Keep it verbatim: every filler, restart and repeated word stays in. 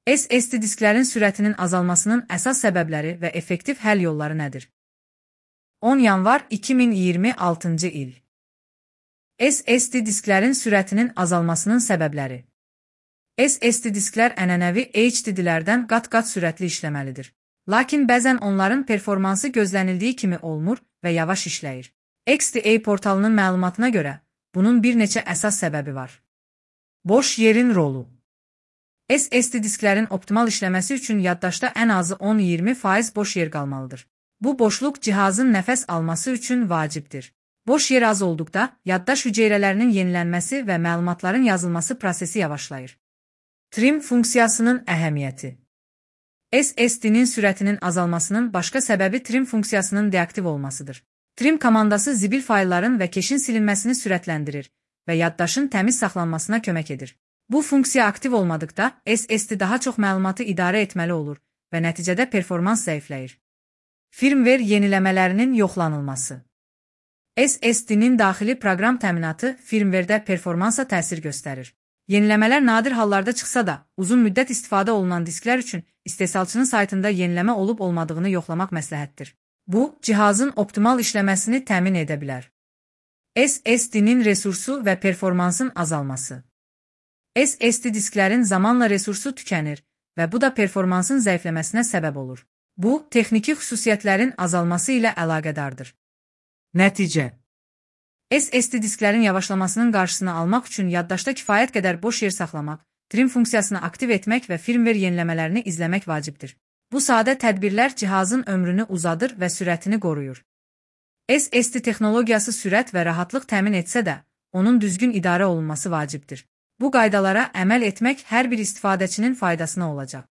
S S D disklərin sürətinin azalmasının əsas səbəbləri və effektiv həll yolları nədir? on yanvar iki min iyirmi altıncı il. S S D disklərin sürətinin azalmasının səbəbləri. S S D disklər ənənəvi H D D-lərdən qat-qat sürətli işləməlidir. Lakin bəzən onların performansı gözlənildiyi kimi olmur və yavaş işləyir. X D A portalının məlumatına görə, bunun bir neçə əsas səbəbi var. Boş yerin rolu. S S D disklərin optimal işləməsi üçün yaddaşda ən azı on iyirmi faiz boş yer qalmalıdır. Bu boşluq cihazın nəfəs alması üçün vacibdir. Boş yer az olduqda, yaddaş hüceyrələrinin yenilənməsi və məlumatların yazılması prosesi yavaşlayır. Trim funksiyasının əhəmiyyəti. S S D-nin sürətinin azalmasının başqa səbəbi trim funksiyasının deaktiv olmasıdır. Trim komandası zibil faylların və keşin silinməsini sürətləndirir və yaddaşın təmiz saxlanmasına kömək edir. Bu funksiya aktiv olmadıqda, S S D daha çox məlumatı idarə etməli olur və nəticədə performans zəifləyir. Firmware yeniləmələrinin yoxlanılması. S S D-nin daxili proqram təminatı firmware-də performansa təsir göstərir. Yeniləmələr nadir hallarda çıxsa da, uzun müddət istifadə olunan disklər üçün istehsalçının saytında yeniləmə olub-olmadığını yoxlamaq məsləhətdir. Bu, cihazın optimal işləməsini təmin edə bilər. S S D-nin resursu və performansın azalması. S S D disklərin zamanla resursu tükənir və bu da performansın zəifləməsinə səbəb olur. Bu, texniki xüsusiyyətlərin azalması ilə əlaqədardır. Nəticə. S S D disklərin yavaşlamasının qarşısını almaq üçün yaddaşda kifayət qədər boş yer saxlamaq, trim funksiyasını aktiv etmək və firmware yeniləmələrini izləmək vacibdir. Bu sadə tədbirlər cihazın ömrünü uzadır və sürətini qoruyur. S S D texnologiyası sürət və rahatlıq təmin etsə də, onun düzgün idarə olunması vacibdir. Bu qaydalara əməl etmək hər bir istifadəçinin faydasına olacaq.